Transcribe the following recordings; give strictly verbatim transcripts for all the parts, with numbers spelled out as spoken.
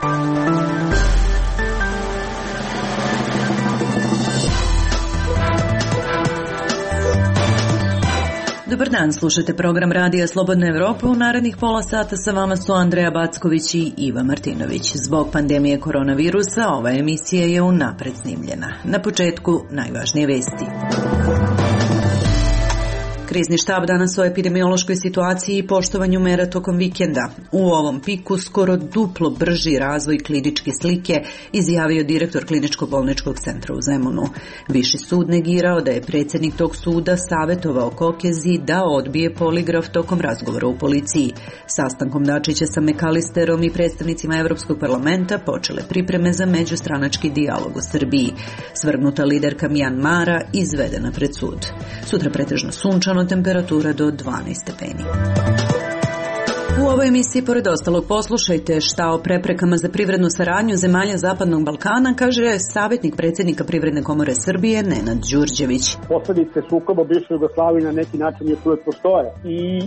Dobar dan, slušate program Radija Slobodna Evropa. U narednih pola sata sa vama su Andreja Backović i Iva Martinović. Zbog pandemije koronavirusa ova emisija je unapred snimljena. Na početku najvažnije vesti. Krizni štab danas o epidemiološkoj situaciji i poštovanju mera tokom vikenda. U ovom piku skoro duplo brži razvoj kliničke slike, izjavio direktor Kliničko-bolničkog centra u Zemunu. Viši sud negirao da je predsjednik tog suda savjetovao Kokezi da odbije poligraf tokom razgovora u policiji. Sastankom Dačića sa Mekalisterom i predstavnicima Evropskog parlamenta počele pripreme za međustranački dijalog u Srbiji. Svrgnuta liderka Mjanmara izvedena pred sud. Sutra pretežno sunčano, temperatura do dvanaest stepeni. U ovoj emisiji, pored ostalog, poslušajte šta o preprekama za privrednu saradnju zemalja Zapadnog Balkana kaže savjetnik predsjednika Privredne komore Srbije Nenad Đurđević. Posledice sukoba u bivšoj Jugoslaviji na neki način još uvijek postoje i e,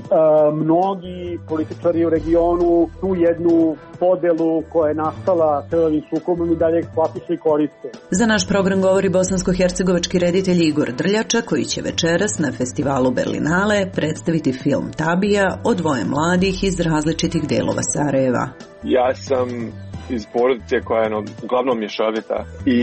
mnogi političari u regionu tu jednu podelu koja je nastala celovim sukobom i dalje eksploatišu i koriste. Za naš program govori bosansko-hercegovački reditelj Igor Drljača, koji će večeras na festivalu Berlinale predstaviti film Tabija o dvoje mladih iz različitih delova Sarajeva. Ja sam iz porodice koja je uglavnom mješovita i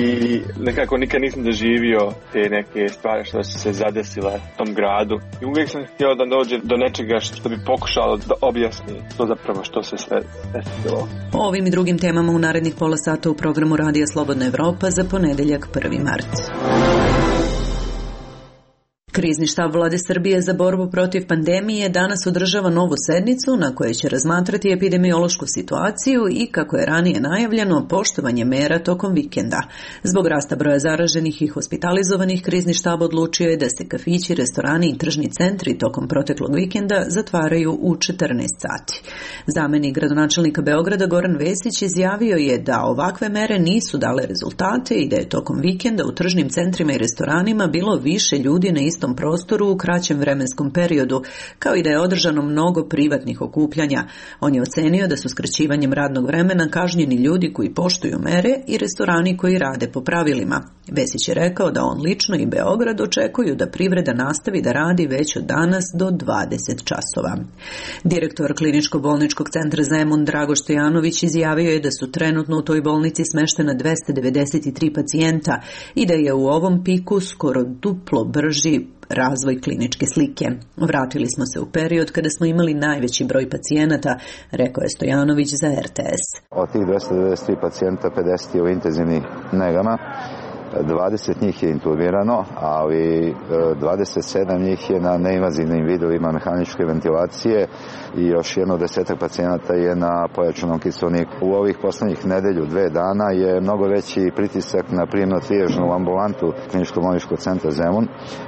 nekako nikad nisam doživio te neke stvari što su se zadesile u tom gradu. I uvijek sam htio da dođe do nečega što bi pokušalo da objasni to zapravo što se sve desilo. O ovim i drugim temama u narednih pola sata u programu Radija Slobodna Evropa za ponedeljak prvi mart. Krizni štab Vlade Srbije za borbu protiv pandemije danas održava novu sednicu na kojoj će razmatrati epidemiološku situaciju i, kako je ranije najavljeno, poštovanje mera tokom vikenda. Zbog rasta broja zaraženih i hospitalizovanih, krizni štab odlučio je da se kafići, restorani i tržni centri tokom proteklog vikenda zatvaraju u četrnaest sati. Zamenik gradonačelnika Beograda Goran Vesić izjavio je da ovakve mere nisu dale rezultate i da je tokom vikenda u tržnim centrima i restoranima bilo više ljudi na istom prostoru u kraćem vremenskom periodu, kao i da je održano mnogo privatnih okupljanja. On je ocenio da su skraćivanjem radnog vremena kažnjeni ljudi koji poštuju mere i restorani koji rade po pravilima. Vesić je rekao da on lično i Beograd očekuju da privreda nastavi da radi već od danas do dvadeset časova. Direktor Kliničko-bolničkog centra Zemun Drago Stojanović izjavio je da su trenutno u toj bolnici smeštena dvesta devedeset tri pacijenta i da je u ovom piku skoro duplo brži razvoj kliničke slike. Vratili smo se u period kada smo imali najveći broj pacijenata, rekao je Stojanović za R T S. Od tih dvesta devedeset tri pacijenta, pedeset je u intenzivnim negama, dvadeset njih je intubirano, ali dvadeset sedam njih je na neinvazivnim vidovima mehaničke ventilacije i još jedno desetak pacijenata je na pojačanom kiseoniku. U ovih poslednjih nedelju, dve dana je mnogo veći pritisak na prijemno-trijažnu ambulantu Kliničko-bolničkog centra Zemun,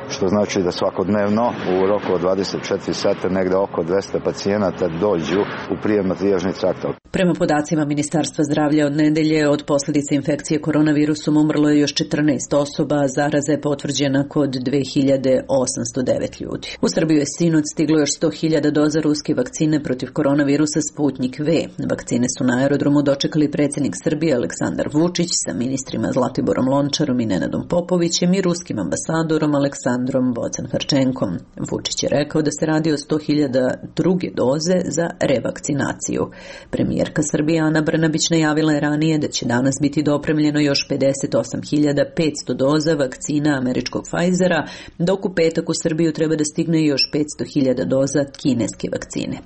što znači da svakodnevno u roku od dvadeset četiri sata negde oko dvesta pacijenata dođu u prijemno-trijažni trakt. Prema podacima Ministarstva zdravlja, od nedelje od posljedice infekcije koronavirusom umrlo je još četrnaest osoba, a zaraza je potvrđena kod dve hiljade osamsto devet ljudi. U Srbiju je sinoć stiglo još sto hiljada doza ruske vakcine protiv koronavirusa Sputnik V. Vakcine su na aerodromu dočekali predsjednik Srbije Aleksandar Vučić sa ministrima Zlatiborom Lončarom i Nenadom Popovićem i ruskim ambasadorom Aleksandrom Vocan-Harčenkom. Vučić je rekao da se radi o sto hiljada druge doze za revakcinaciju. Premijerka Srbije Ana Brnabić najavila je ranije da će danas biti dopremljeno još pedeset osam hiljada petsto doza vakcina američkog Pfizera, dok u petak u Srbiju treba da stigne još petsto hiljada doza kineske vakcine.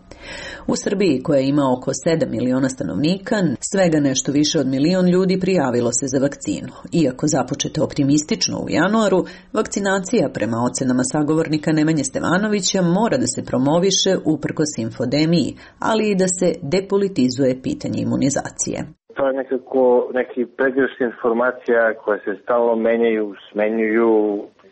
U Srbiji, koja ima oko sedam miliona stanovnika, svega nešto više od milion ljudi prijavilo se za vakcinu. Iako započete optimistično u januaru, vakcinacija prema ocenama sagovornika Nemanje Stevanovića mora da se promoviše uprkos infodemiji, ali i da se depolitizuje pitanje imunizacije. To je nekako neki pregršt informacija koje se stalno menjaju, smenjuju,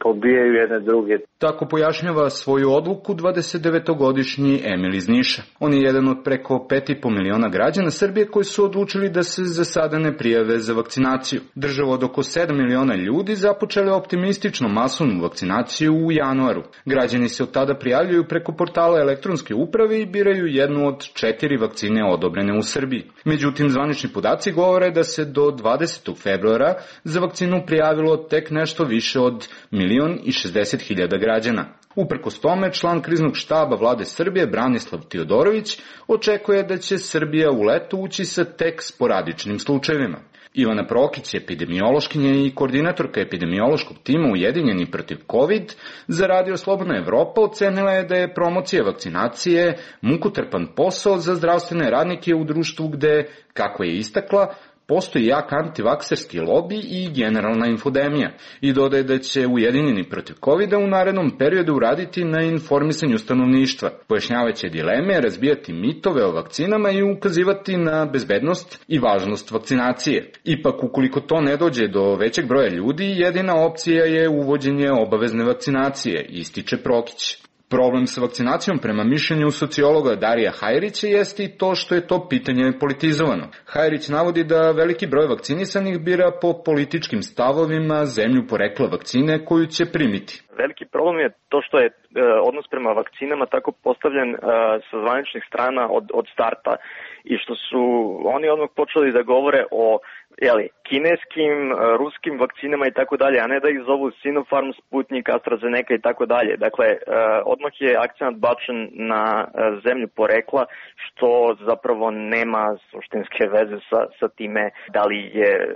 pobijaju jedne druge. Tako pojašnjava svoju odluku dvadesetdevetogodišnji Emil iz Niša. On je jedan od preko pet i po miliona građana Srbije koji su odlučili da se za sada ne prijave za vakcinaciju. Država od oko sedam miliona ljudi započela optimistično masovnu vakcinaciju u januaru. Građani se od tada prijavljuju preko portala elektronske uprave i biraju jednu od četiri vakcine odobrene u Srbiji. Međutim, zvanični podaci govore da se do dvadesetog februara za vakcinu prijavilo tek nešto više od milion i šezdeset hiljada građana. Uprkos tome, član kriznog štaba vlade Srbije Branislav Tiodorović očekuje da će Srbija u leto ući sa tek sporadičnim slučajevima. Ivana Prokić, epidemiološkinja i koordinatorka epidemiološkog tima Ujedinjeni protiv COVID, za Radio Slobodna Evropa ocenila je da je promocija vakcinacije mukotrpan posao za zdravstvene radnike u društvu gde, kako je istakla, postoji jak antivakserski lobi i generalna infodemija i dodaje da će Ujedinjeni protiv kovida u narednom periodu uraditi na informisanju stanovništva, pojašnjavaće dileme, razbijati mitove o vakcinama i ukazivati na bezbednost i važnost vakcinacije. Ipak, ukoliko to ne dođe do većeg broja ljudi, jedina opcija je uvođenje obavezne vakcinacije, ističe Prokić. Problem sa vakcinacijom prema mišljenju sociologa Darija Hajrića jeste i to što je to pitanje politizovano. Hajrić navodi da veliki broj vakcinisanih bira po političkim stavovima zemlju porekla vakcine koju će primiti. Veliki problem je to što je e, odnos prema vakcinama tako postavljen e, sa zvaničnih strana od, od starta i što su oni odmah počeli da govore o jeli, kineskim, ruskim vakcinama i tako dalje, a ne da ih zovu Sinopharm, Sputnik, AstraZeneca i tako dalje. Dakle, odmah je akcent bačen na zemlju porekla, što zapravo nema suštinske veze sa, sa time da li je e,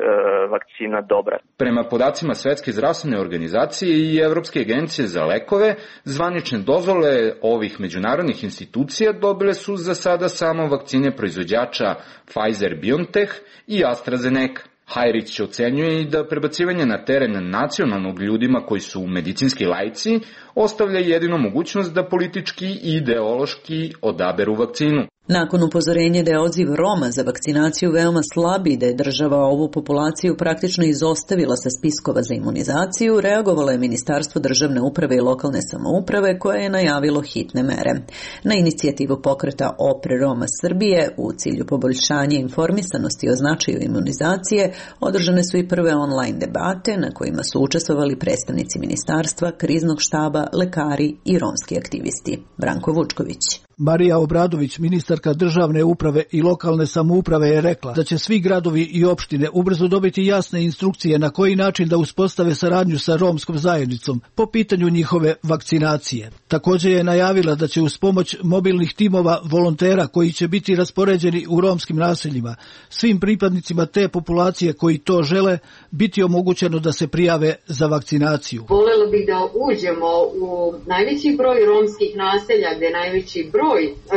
vakcina dobra. Prema podacima Svetske zdravstvene organizacije i Evropske agencije za lekove, zvanične dozvole ovih međunarodnih institucija dobile su za sada samo vakcine proizvođača Pfizer-BioNTech i AstraZeneca. Hajrić ocenjuje i da prebacivanje na teren nacionalnog ljudima koji su medicinski laici ostavlja jedino mogućnost da politički i ideološki odaberu vakcinu. Nakon upozorenja da je odziv Roma za vakcinaciju veoma slab i da je država ovu populaciju praktično izostavila sa spiskova za imunizaciju, reagovalo je Ministarstvo državne uprave i lokalne samouprave koje je najavilo hitne mere. Na inicijativu pokreta Opre Roma Srbije u cilju poboljšanja informisanosti o značaju imunizacije održane su i prve online debate na kojima su učestvovali predstavnici ministarstva, kriznog štaba, lekari i romski aktivisti. Branko Vučković. Marija Obradović, ministarka državne uprave i lokalne samouprave, je rekla da će svi gradovi i opštine ubrzo dobiti jasne instrukcije na koji način da uspostave saradnju sa romskom zajednicom po pitanju njihove vakcinacije. Također je najavila da će uz pomoć mobilnih timova volontera koji će biti raspoređeni u romskim naseljima, svim pripadnicima te populacije koji to žele biti omogućeno da se prijave za vakcinaciju. Volela bih da uđemo u najveći broj romskih naselja gdje je najveći broj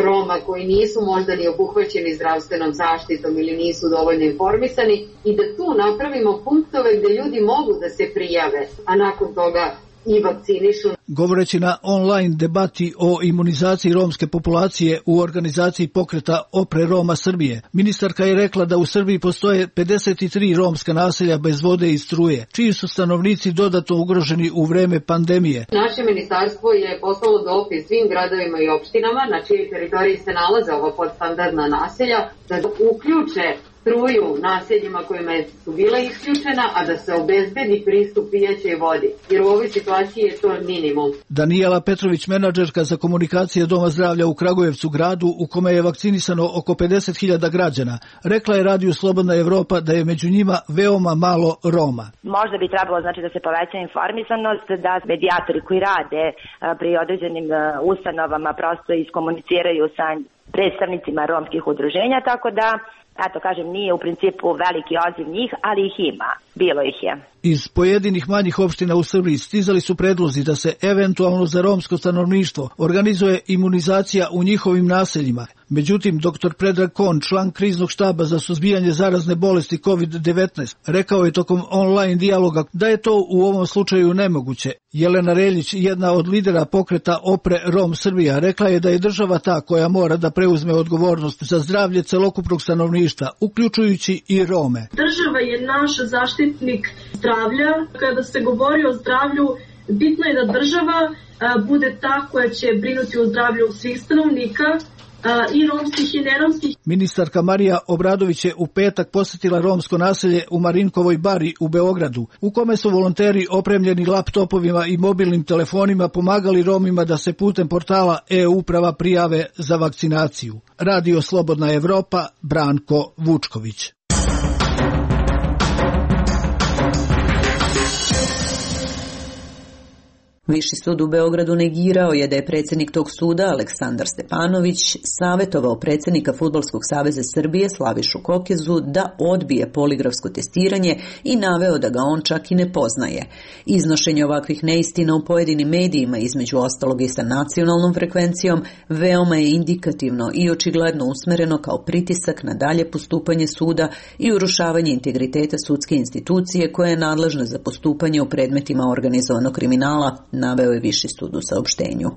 Roma koji nisu možda ni obuhvaćeni zdravstvenom zaštitom ili nisu dovoljno informisani i da tu napravimo punktove gdje ljudi mogu da se prijave, a nakon toga i vakcinišu. Govoreći na online debati o imunizaciji romske populacije u organizaciji pokreta Opre Roma Srbije, ministarka je rekla da u Srbiji postoje pedeset tri romska naselja bez vode i struje, čiji su stanovnici dodatno ugroženi u vreme pandemije. Naše ministarstvo je poslalo dopis svim gradovima i opštinama na čijoj teritoriji se nalaze ova podstandardna naselja da uključe struju naseljima kojima su bila isključena, a da se obezbedi pristup pijaćoj vodi, jer u ovoj situaciji je to minimum. Danijela Petrović, menadžerka za komunikacije Doma zdravlja u Kragujevcu, gradu u kome je vakcinisano oko pedeset hiljada građana, rekla je Radiju Slobodna Evropa da je među njima veoma malo Roma. Možda bi trebalo znači da se poveća informisanost, da medijatori koji rade pri određenim ustanovama prosto iskomuniciraju sa predstavnicima romskih udruženja, tako da eto, kažem, nije u principu veliki odziv njih, ali ih ima. Bilo ih je. Iz pojedinih manjih opština u Srbiji stizali su predlozi da se eventualno za romsko stanovništvo organizuje imunizacija u njihovim naseljima. Međutim, doktor Predrag Kon, član kriznog štaba za suzbijanje zarazne bolesti kovid devetnaest, rekao je tokom online dijaloga da je to u ovom slučaju nemoguće. Jelena Reljić, jedna od lidera pokreta Opre Rom Srbija, rekla je da je država ta koja mora da preuzme odgovornost za zdravlje celokupnog stanovništva, uključujući i Rome. Država je naš zaštitnik zdravlja. Kada se govori o zdravlju Bitno je da država bude ta koja će brinuti o zdravlju svih stanovnika, i romskih i neromskih. Ministarka Marija Obradović je u petak posjetila romsko naselje u Marinkovoj bari u Beogradu, u kome su volonteri opremljeni laptopovima i mobilnim telefonima pomagali Romima da se putem portala e-uprava prijave za vakcinaciju. Radio Slobodna Evropa, Branko Vučković. Viši sud u Beogradu negirao je da je predsjednik tog suda, Aleksandar Stepanović, savjetovao predsjednika Fudbalskog saveza Srbije, Slavišu Kokezu, da odbije poligrafsko testiranje i naveo da ga on čak i ne poznaje. Iznošenje ovakvih neistina u pojedinim medijima, između ostalog i sa nacionalnom frekvencijom, veoma je indikativno i očigledno usmereno kao pritisak na dalje postupanje suda i urušavanje integriteta sudske institucije koja je nadležna za postupanje u predmetima organizovanog kriminala, naveo je Viši sud u saopštenju.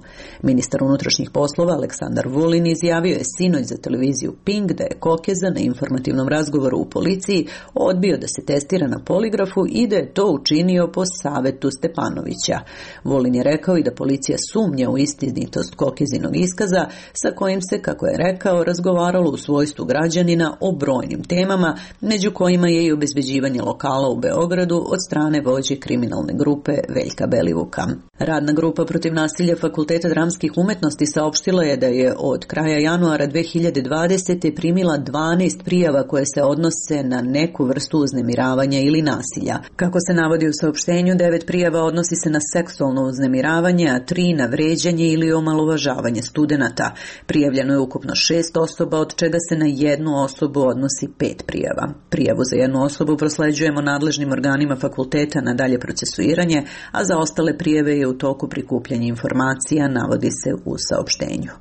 Ministar unutrašnjih poslova Aleksandar Vulin izjavio je sinoć za televiziju Pink da je Kokeza na informativnom razgovoru u policiji odbio da se testira na poligrafu i da je to učinio po savetu Stepanovića. Vulin je rekao i da policija sumnja u istinitost Kokezinog iskaza sa kojim se, kako je rekao, razgovaralo u svojstvu građanina o brojnim temama, među kojima je i obezbeđivanje lokala u Beogradu od strane vođe kriminalne grupe Veljka Belivuka. Radna grupa protiv nasilja Fakulteta dramskih umetnosti saopštila je da je od kraja januara dve hiljade dvadesete. primila dvanaest prijava koje se odnose na neku vrstu uznemiravanja ili nasilja. Kako se navodi u saopštenju, devet prijava odnosi se na seksualno uznemiravanje, a tri na vređanje ili omalovažavanje studenata. Prijavljeno je ukupno šest osoba, od čega se na jednu osobu odnosi pet prijava. Prijavu za jednu osobu prosleđujemo nadležnim organima fakulteta na dalje procesuiranje, a za ostale prijave je u toku prikupljanja informacija, navodi se u saopštenju.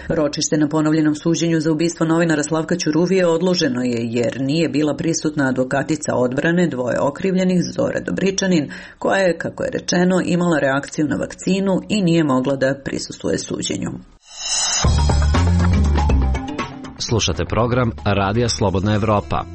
Ročište na ponovljenom suđenju za ubistvo novinara Slavka Ćuruvije odloženo je jer nije bila prisutna advokatica odbrane dvoje okrivljenih, Zora Dobričanin, koja je, kako je rečeno, imala reakciju na vakcinu i nije mogla da prisustvuje suđenju. Slušate program Radija Slobodna Evropa.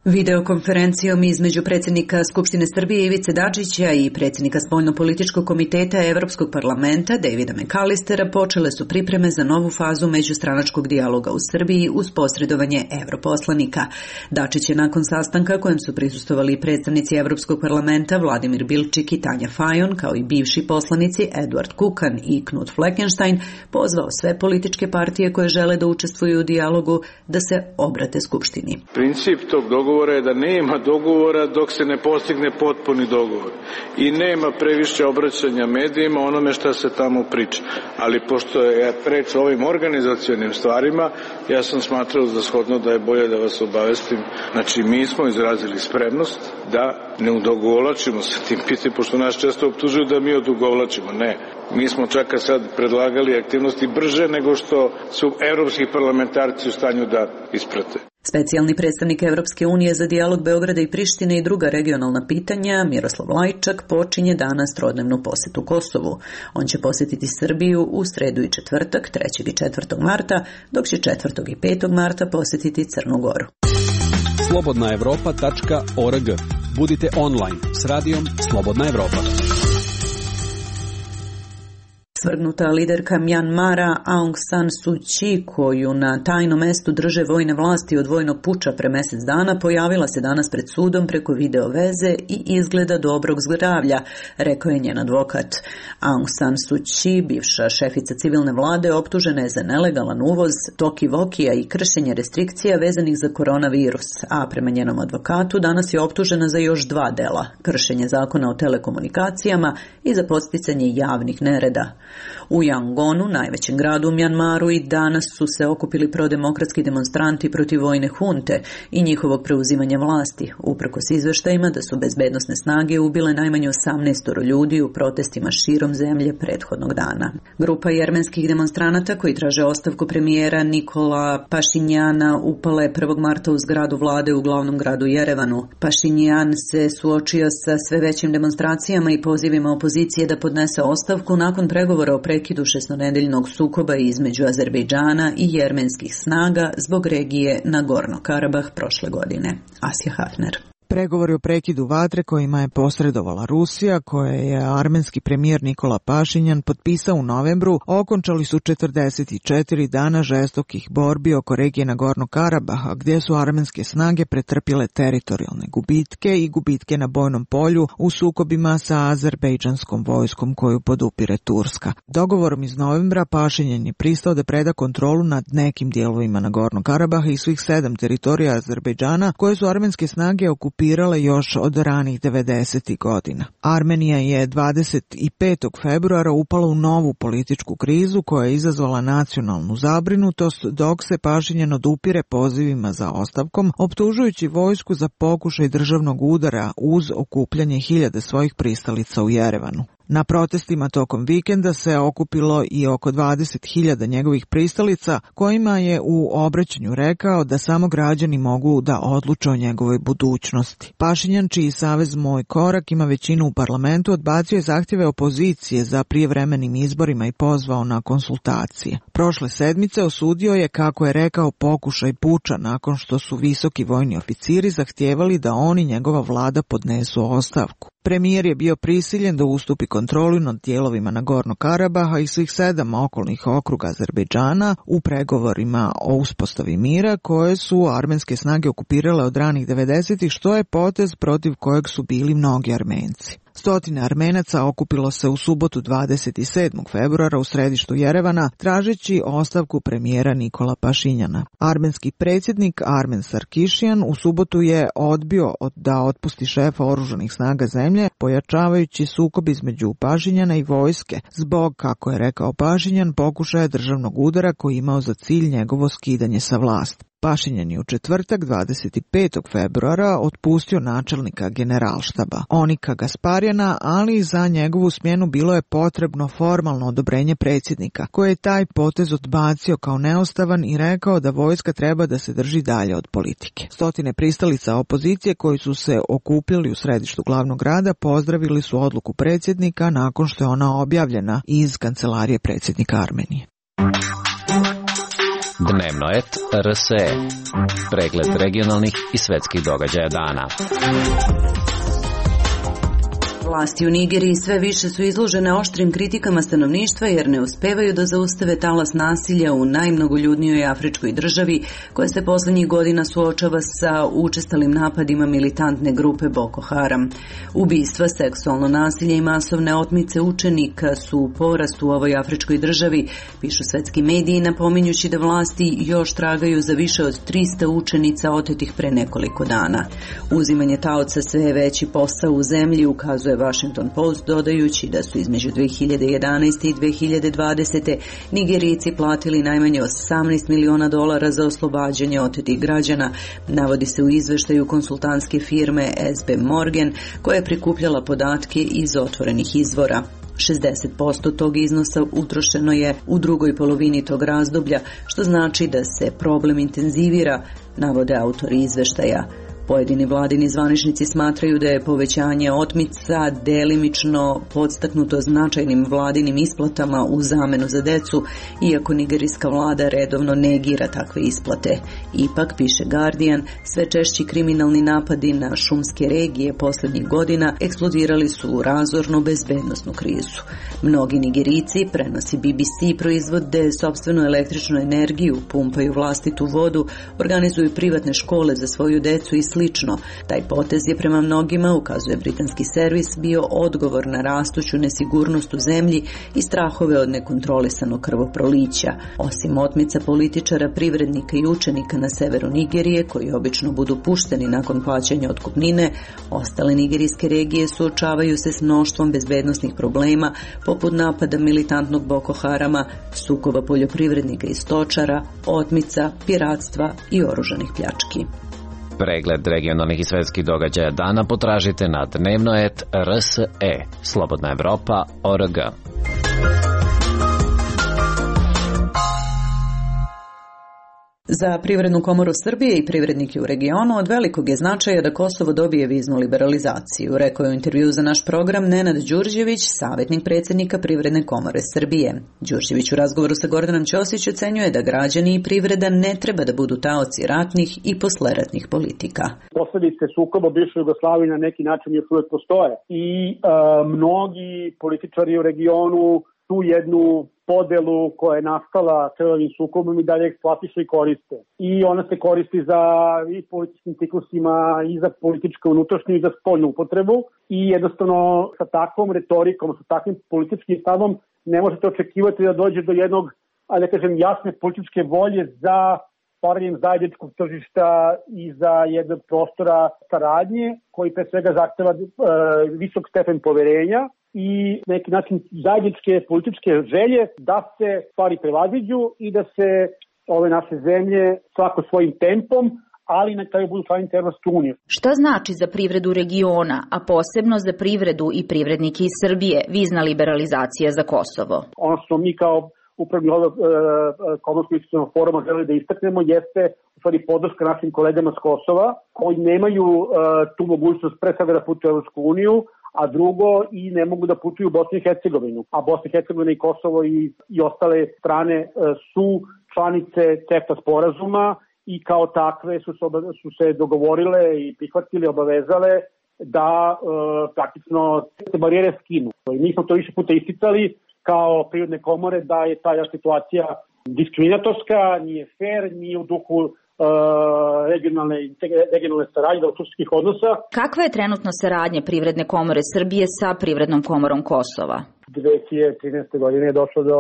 Videokonferencijom između predsjednika Skupštine Srbije Ivice Dačića i predsjednika Spoljnopolitičkog komiteta Evropskog parlamenta Davida McAllistera počele su pripreme za novu fazu međustranačkog dijaloga u Srbiji uz posredovanje europoslanika. Dačić je nakon sastanka kojem su prisustvovali predstavnici Evropskog parlamenta Vladimir Bilčik i Tanja Fajon, kao i bivši poslanici Eduard Kukan i Knut Fleckenstein, pozvao sve političke partije koje žele da učestvuju u dijalogu da se obrate Skupštini. Princip tog dogovora je da nema dogovora dok se ne postigne potpuni dogovor i nema previše obraćanja medijima onome šta se tamo priča. Ali pošto je reč o ovim organizacionim stvarima, ja sam smatrao za shodno da je bolje da vas obavestim. Znači, mi smo izrazili spremnost da ne odugovlačimo sa tim pitanjem, pošto nas često optužuju da mi odugovlačimo. Ne. Mi smo čak sad predlagali aktivnosti brže nego što su evropski parlamentarci u stanju da isprate. Specijalni predstavnik Evropske unije za dijalog Beograda i Prištine i druga regionalna pitanja, Miroslav Lajčak, počinje danas trodnevnu posetu Kosovu. On će posjetiti Srbiju u sredu i četvrtak, trećeg i četvrtog marta, dok će četvrtog i petog marta posjetiti Crnu Goru. slobodna evropa tačka org. Budite online s radijom Slobodna Evropa. Svrgnuta liderka Mjanmara Aung San Suu Kyi, koju na tajnom mestu drže vojne vlasti od vojnog puča pre mjesec dana, pojavila se danas pred sudom preko video veze i izgleda dobrog zdravlja, rekao je njen advokat. Aung San Suu Kyi, bivša šefica civilne vlade, optužena je za nelegalan uvoz toki-vokija i kršenje restrikcija vezanih za koronavirus, a prema njenom advokatu danas je optužena za još dva dela, kršenje zakona o telekomunikacijama i za podsticanje javnih nereda. U Yangonu, najvećem gradu u Mjanmaru, i danas su se okupili prodemokratski demonstranti protiv vojne hunte i njihovog preuzimanja vlasti, uprkos izveštajima da su bezbednosne snage ubile najmanje osamnaest ljudi u protestima širom zemlje prethodnog dana. Grupa jermenskih demonstranata koji traže ostavku premijera Nikola Pašinjana upala je prvog marta u zgradu vlade u glavnom gradu Jerevanu. Pašinjan se suočio sa sve većim demonstracijama i pozivima opozicije da podnese ostavku nakon pregovora o prekidu šestnedeljnog sukoba između Azerbejdžana i jermenskih snaga zbog regije Nagorno Karabah prošle godine. Asja Hafner. Pregovori o prekidu vatre kojima je posredovala Rusija, koje je armenski premijer Nikola Pašinjan potpisao u novembru, okončali su četrdeset četiri dana žestokih borbi oko regije Nagorno Karabaha, gdje su armenske snage pretrpjele teritorijalne gubitke i gubitke na bojnom polju u sukobima sa azerbejdžanskom vojskom koju podupire Turska. Dogovorom iz novembra Pašinjan je pristao da preda kontrolu nad nekim dijelovima Nagorno Karabaha i svih sedam teritorija Azerbejdžana koje su armenske snage okupirale pirale još od ranih devedesetih godina. Armenija je dvadeset petog februara upala u novu političku krizu koja je izazvala nacionalnu zabrinutost, dok se Pašinjan odupire pozivima za ostavkom, optužujući vojsku za pokušaj državnog udara uz okupljanje hiljade svojih pristalica u Jerevanu. Na protestima tokom vikenda se okupilo i oko dvadeset hiljada njegovih pristalica, kojima je u obraćanju rekao da samo građani mogu da odluče o njegovoj budućnosti. Pašinjan, čiji savez Moj korak ima većinu u parlamentu, odbacio je zahtjeve opozicije za prijevremenim izborima i pozvao na konsultacije. Prošle sedmice osudio je, kako je rekao, pokušaj puča nakon što su visoki vojni oficiri zahtijevali da on i njegova vlada podnesu ostavku. Premijer je bio prisiljen da ustupi kontrolu nad dijelovima Nagorno Karabaha i svih sedam okolnih okruga Azerbejdžana u pregovorima o uspostavi mira koje su armenske snage okupirale od ranih devedesetih, što je potez protiv kojeg su bili mnogi Armenci. Stotine Armenaca okupilo se u subotu dvadeset sedmog februara u središtu Jerevana tražeći ostavku premijera Nikola Pašinjana. Armenski predsjednik Armen Sarkišijan u subotu je odbio da otpusti šefa oružanih snaga zemlje, pojačavajući sukob između Pašinjana i vojske zbog, kako je rekao Pašinjan, pokušaja državnog udara koji imao za cilj njegovo skidanje sa vlasti. Pašinjan je u četvrtak dvadeset petog februara otpustio načelnika generalštaba Onika Gasparjana, ali za njegovu smjenu bilo je potrebno formalno odobrenje predsjednika, koji je taj potez odbacio kao neustavan i rekao da vojska treba da se drži dalje od politike. Stotine pristalica opozicije koji su se okupili u središtu glavnog grada pozdravili su odluku predsjednika nakon što je ona objavljena iz kancelarije predsjednika Armenije. Dnevnoet R S E. Pregled regionalnih i svetskih događaja dana. Vlasti u Nigeriji sve više su izložene oštrim kritikama stanovništva jer ne uspevaju da zaustave talas nasilja u najmnogoljudnijoj afričkoj državi koja se poslednjih godina suočava sa učestalim napadima militantne grupe Boko Haram. Ubistva, seksualno nasilje i masovne otmice učenika su u porastu u ovoj afričkoj državi, pišu svetski mediji, napominjući da vlasti još tragaju za više od trista učenica otetih pre nekoliko dana. Uzimanje taoca sve je veći posao u zemlji, ukazuje Washington Post, dodajući da su između dve hiljade jedanaeste i dve hiljade dvadesete. Nigerijci platili najmanje osamnaest miliona dolara za oslobađanje otetih građana, navodi se u izveštaju konsultantske firme S B Morgan, koja je prikupljala podatke iz otvorenih izvora. šezdeset posto tog iznosa utrošeno je u drugoj polovini tog razdoblja, što znači da se problem intenzivira, navode autori izveštaja. Pojedini vladini zvaničnici smatraju da je povećanje otmica delimično podstaknuto značajnim vladinim isplatama u zamenu za decu, iako nigerijska vlada redovno negira takve isplate. Ipak, piše Guardian, sve češći kriminalni napadi na šumske regije poslednjih godina eksplodirali su u razornu bezbednosnu krizu. Mnogi Nigerijci, prenosi B B C, proizvode sopstvenu električnu energiju, pumpaju vlastitu vodu, organizuju privatne škole za svoju decu i slično. Taj potez je prema mnogima, ukazuje britanski servis, bio odgovor na rastuću nesigurnost u zemlji i strahove od nekontrolisanog krvoprolića. Osim otmica političara, privrednika i učenika na severu Nigerije, koji obično budu pušteni nakon plaćanja otkupnine, ostale nigerijske regije suočavaju se s mnoštvom bezbednosnih problema, poput napada militantnog Boko Harama, sukoba poljoprivrednika i stočara, otmica, piratstva i oružanih pljački. Pregled regionalnih i svetskih događaja dana potražite na dnevnoet R S E. Slobodna Evropa O R G. Za Privrednu komoru Srbije i privrednike u regionu od velikog je značaja da Kosovo dobije viznu liberalizaciju, rekao je u intervju za naš program Nenad Đurđević, savjetnik predsjednika Privredne komore Srbije. Đurđević u razgovoru sa Gordanom Ćosić ocenjuje da građani i privreda ne treba da budu taoci ratnih i posleratnih politika. Posledice sukoba bivše Jugoslavije na neki način još uvijek postoje i e, mnogi političari u regionu tu jednu podelu koja je nastala krvavim sukobom i dalje eksploatišu i koriste. I ona se koristi za i političkim ciklusima, i za političku unutrašnju, i za spoljnu upotrebu. I jednostavno sa takvom retorikom, sa takvim političkim stavom ne možete očekivati da dođe do jednog, ali da kažem, jasne političke volje za stvaranjem zajedničkog tržišta i za jednog prostora saradnje koji pre svega zahteva e, visok stepen poverenja i neki način zajedničke političke želje da se stvari prevaziđu i da se ove naše zemlje svako svojim tempom, ali na kraju budu članice Evropske unije. Šta znači za privredu regiona, a posebno za privredu i privrednike iz Srbije, vizna liberalizacija za Kosovo? Ono što mi kao upravni odbor e, Komorskog investicionog foruma želi da istaknemo jeste u stvari podrška našim kolegama s Kosova koji nemaju e, tu mogućnost pre svega da putuju u Evropsku uniju, a drugo i ne mogu da putuju u Bosnu i Hercegovinu. A Bosna i Hercegovina i Kosovo i, i ostale strane e, su članice CEFTA sporazuma i kao takve su se, su se dogovorile i prihvatili, obavezale da e, praktično se barijere skinu. I mi smo to više puta isticali kao privredne komore da je ta situacija diskriminatorska, nije fair, nije u duhu uh, regionalne, regionalne saradnje, dobrosusjedskih odnosa. Kakva je trenutno saradnja Privredne komore Srbije sa Privrednom komorom Kosova? dve hiljade trinaeste. godine je došlo do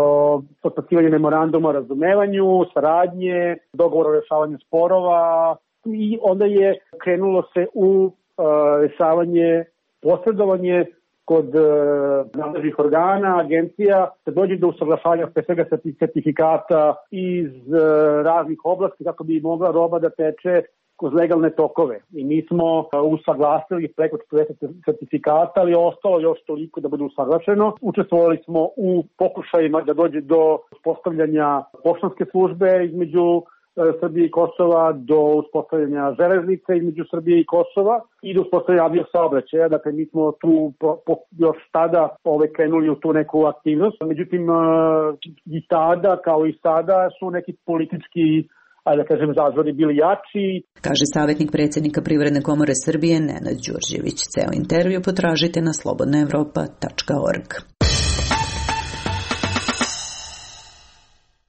potpisivanja memoranduma o razumevanju, saradnje, dogovora o rešavanju sporova i onda je krenulo se u uh, rešavanje, posredovanje kod e, nadležnih organa, agencija, se dođe do usaglašavanja pre svega sertifikata iz e, raznih oblasti kako bi mogla roba da teče kroz legalne tokove. I mi smo e, usaglasili preko četrdeset sertifikata, ali ostalo još toliko da bude usaglašeno. Učestvovali smo u pokušajima da dođe do postavljanja poštanske službe između Srbije i Kosova, do uspostavljanja železnice između Srbije i Kosova i do uspostavljanja aviosaobraćaja. Dakle, mi smo tu po, po, još tada ove, krenuli u tu neku aktivnost. Međutim, i tada, kao i sada, su neki politički, ajde da kažem, zazori bili jači. Kaže savjetnik predsjednika Privredne komore Srbije Nenad Đurđević. Ceo intervju potražite na slobodna evropa tačka org.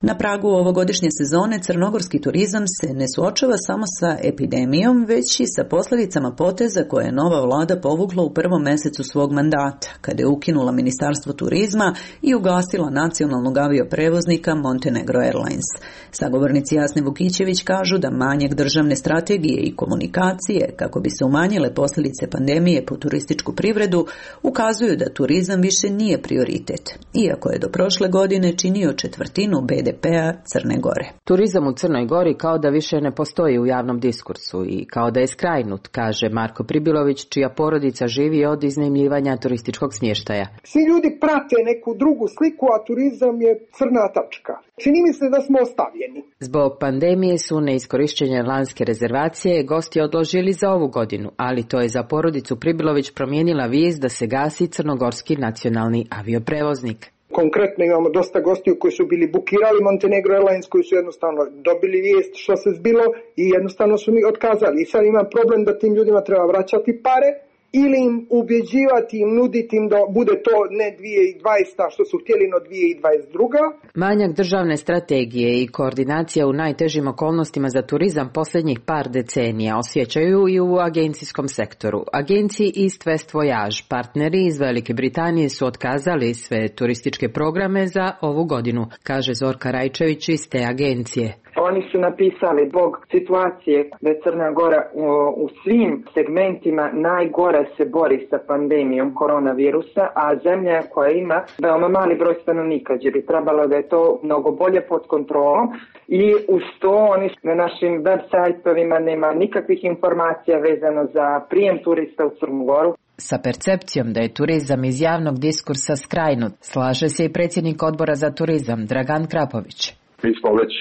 Na pragu ovogodišnje sezone crnogorski turizam se ne suočava samo sa epidemijom, već i sa posljedicama poteza koje je nova vlada povukla u prvom mesecu svog mandata, kada je ukinula Ministarstvo turizma i ugasila nacionalnog avioprevoznika Montenegro Airlines. Sagovornici Jasne Vukićević kažu da manjak državne strategije i komunikacije, kako bi se umanjile posljedice pandemije po turističku privredu, ukazuju da turizam više nije prioritet, iako je do prošle godine činio četvrtinu be de pe-a Crne Gore. Turizam u Crnoj Gori kao da više ne postoji u javnom diskursu i kao da je skrajnut, kaže Marko Pribilović, čija porodica živi od iznajmljivanja turističkog smještaja. Svi ljudi prate neku drugu sliku, a turizam je crna tačka. Čini mi se da smo ostavljeni. Zbog pandemije su neiskorišćene lanske rezervacije gosti odložili za ovu godinu, ali to je za porodicu Pribilović promijenila vijest da se gasi crnogorski nacionalni avioprevoznik. Konkretno imamo dosta gostiju koji su bili bukirali Montenegro Airlines, koji su jednostavno dobili vijest što se zbilo i jednostavno su mi otkazali. I sad ima problem da tim ljudima treba vraćati pare ili im ubjeđivati, im nuditi im da bude to ne dvije tisuće dvadeseta što su htjeli, no dvije tisuće dvadeset druga. Manjak državne strategije i koordinacija u najtežim okolnostima za turizam posljednjih par decenija osjećaju i u agencijskom sektoru. Agenciji East West Voyage, partneri iz Velike Britanije, su otkazali sve turističke programe za ovu godinu, kaže Zorka Rajčević iz te agencije. Oni su napisali zbog situacije da je Crna Gora u, u svim segmentima najgore se bori sa pandemijom koronavirusa, a zemlja koja ima veoma mali broj stanovnika, gdje bi trebalo da je to mnogo bolje pod kontrolom i uz to oni na našim web sajtovima nema nikakvih informacija vezano za prijem turista u Crnu Goru. Sa percepcijom da je turizam iz javnog diskursa skrajnut, slaže se i predsjednik odbora za turizam Dragan Krapović. Mi smo već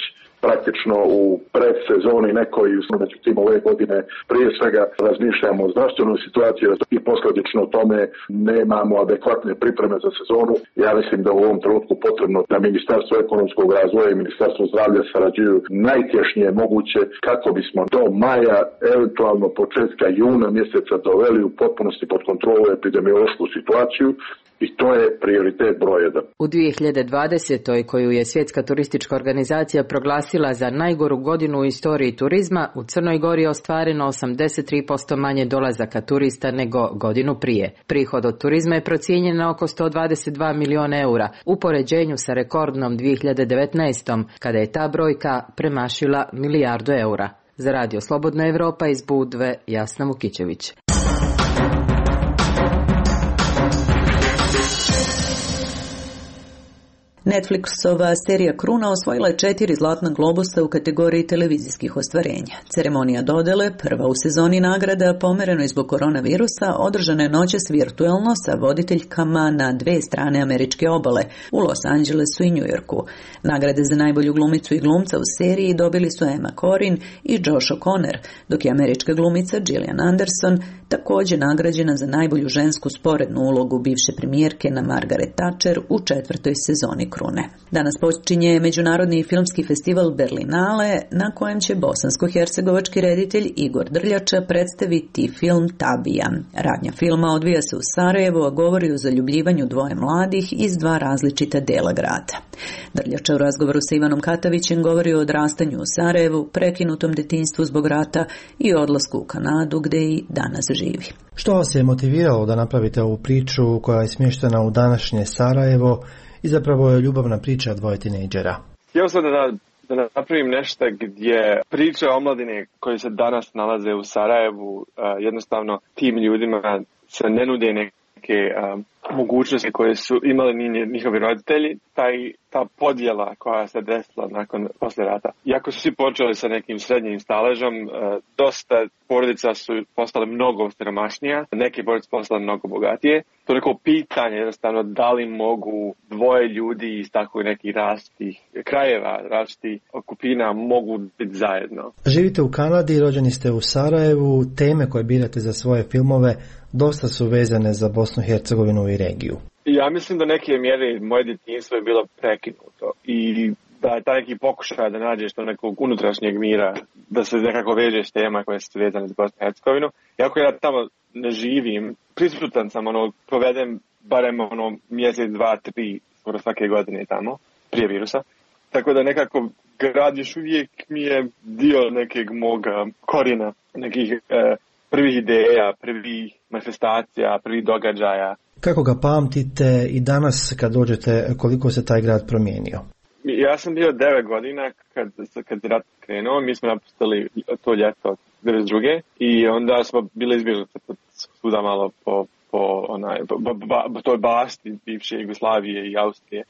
praktično u predsezoni nekoj, međutim ove godine prije svega razmišljamo o zdravstvenoj situaciji i posljedično tome nemamo adekvatne pripreme za sezonu. Ja mislim da u ovom trenutku potrebno da Ministarstvo ekonomskog razvoja i Ministarstvo zdravlja sarađuju najtješnije moguće kako bismo do maja, eventualno početka juna mjeseca doveli u potpunosti pod kontrolu epidemiološku situaciju. I to je prioritet broj jedan. U dvije hiljade dvadesetoj koju je Svjetska turistička organizacija proglasila za najgoru godinu u istoriji turizma, u Crnoj Gori je ostvareno osamdeset tri posto manje dolazaka turista nego godinu prije. Prihod od turizma je procijenjen na oko sto dvadeset dva miliona eura, u poređenju sa rekordnom dvije hiljade devetnaestom kada je ta brojka premašila milijardu eura. Za Radio Slobodna Evropa iz Budve, Jasna Vukićević. Netflixova serija Kruna osvojila je četiri zlatna globusa u kategoriji televizijskih ostvarenja. Ceremonija dodele, prva u sezoni nagrada, pomereno zbog koronavirusa, održana je noćas virtuelno sa voditeljkama na dve strane američke obale, u Los Angelesu i Njujorku. Nagrade za najbolju glumicu i glumca u seriji dobili su Emma Corrin i Josh O'Connor, dok je američka glumica Gillian Anderson također nagrađena za najbolju žensku sporednu ulogu bivše premijerke na Margaret Thatcher u četvrtoj sezoni Krune. Danas počinje Međunarodni filmski festival Berlinale, na kojem će bosansko-hercegovački reditelj Igor Drljača predstaviti film Tabija. Radnja filma odvija se u Sarajevu, a govori o zaljubljivanju dvoje mladih iz dva različita dela grada. Drljača u razgovoru sa Ivanom Katavićem govori o odrastanju u Sarajevu, prekinutom detinjstvu zbog rata i odlasku u Kanadu, gde i danas živi. Što vas je motiviralo da napravite ovu priču koja je smještena u današnje Sarajevo i zapravo je ljubavna priča dvoje tinejdžera? Htio sam da, da napravim nešto gdje priča o omladini koji se danas nalaze u Sarajevu, jednostavno tim ljudima se ne nude neke mogućnosti koje su imali njihovi roditelji, taj, ta podjela koja se desila nakon posle rata. Iako su svi počeli sa nekim srednjim staležom, dosta porodica su postale mnogo siromašnija, neke porodice postale mnogo bogatije. To je neko pitanje, jednostavno, da li mogu dvoje ljudi iz tako nekih različitih krajeva, različitih okupina mogu biti zajedno. Živite u Kanadi, rođeni ste u Sarajevu, teme koje birate za svoje filmove dosta su vezane za Bosnu i Hercegovinu i regiju. Ja mislim da neke mjere moje djetinjstvo je bilo prekinuto i da je taj neki pokušaj da nađeš to nekog unutrašnjeg mira, da se nekako vežeš tema koje su vezane za Bosnu i Hercegovinu. Iako ja tamo ne živim, prisutan sam, ono, provedem barem ono mjesec, dva, tri, skoro svake godine tamo, prije virusa. Tako da nekako grad još uvijek mi je dio nekeg moga korijena, nekih e, prvih ideja, prvih manifestacija, prvih događaja. Kako ga pamtite i danas kad dođete, koliko se taj grad promijenio? Ja sam bio devet godina kad, kad je rat krenuo, mi smo napustili to ljeto devedeset druge i onda smo bili izbjeglice svuda malo po, po onaj, ba, ba, ba, toj basti bivše Jugoslavije i Austrije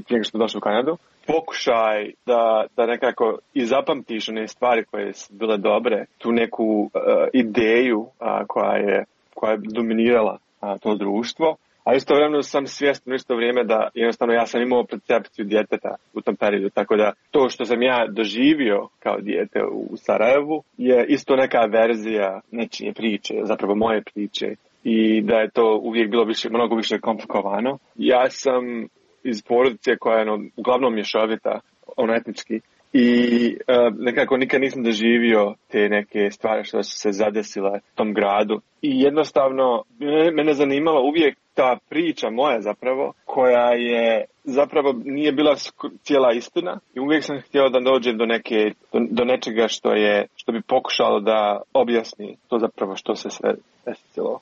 prije nego što smo došli u Kanadu. Pokušaj da, da nekako i zapamtiš one stvari koje su bile dobre, tu neku uh, ideju uh, koja, je, koja je dominirala uh, to društvo. A istovremeno sam svjestan u isto vrijeme da jednostavno ja sam imao percepciju djeteta u tom periodu, tako da to što sam ja doživio kao dijete u Sarajevu je isto neka verzija nečije priče, zapravo moje priče, i da je to uvijek bilo više, mnogo više komplikovano. Ja sam iz porodice koja je no, uglavnom mješovita, ono etnički, i uh, nekako nikad nisam doživio te neke stvari što su se zadesile u tom gradu. I jednostavno mene zanimala uvijek ta priča moja zapravo, koja je zapravo nije bila cijela istina i uvijek sam htio da dođem do neke, do, do nečega što je, što bi pokušalo da objasni to zapravo što se sve desilo.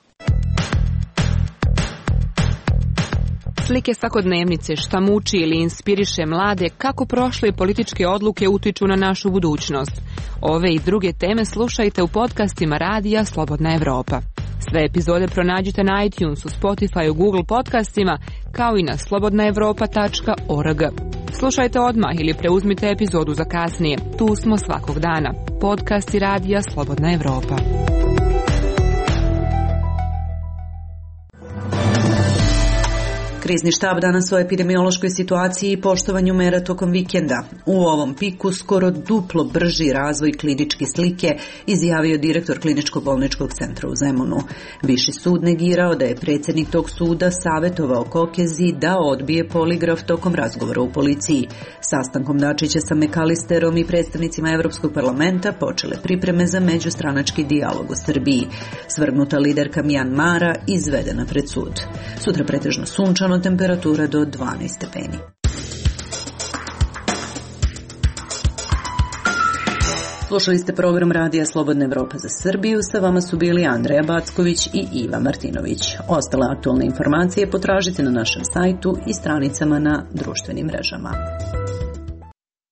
Slike svakodnevnice, šta muči ili inspiriše mlade, kako prošle političke odluke utiču na našu budućnost. Ove i druge teme slušajte u podcastima Radija Slobodna Evropa. Sve epizode pronađite na iTunesu, Spotify, Google podcastima, kao i na slobodna evropa tačka org. Slušajte odmah ili preuzmite epizodu za kasnije. Tu smo svakog dana. Podcasti Radija Slobodna Evropa. Krizni štab danas o epidemiološkoj situaciji i poštovanju mera tokom vikenda. U ovom piku skoro duplo brži razvoj kliničke slike, izjavio direktor Kliničko-bolničkog centra u Zemunu. Viši sud negirao da je predsjednik tog suda savjetovao Kokezi da odbije poligraf tokom razgovora u policiji. Sastankom Dačića sa Mekalisterom i predstavnicima Evropskog parlamenta počele pripreme za međustranački dijalog u Srbiji. Svrgnuta liderka Mjanmara izvedena pred sud. Sutra pretežno sunčano, temperatura do dvanaest stepeni. Slušali ste program Radija Slobodna Evropa za Srbiju, sa vama su bili Andreja Backović i Iva Martinović. Ostale aktualne informacije potražite na našem sajtu i stranicama na društvenim mrežama.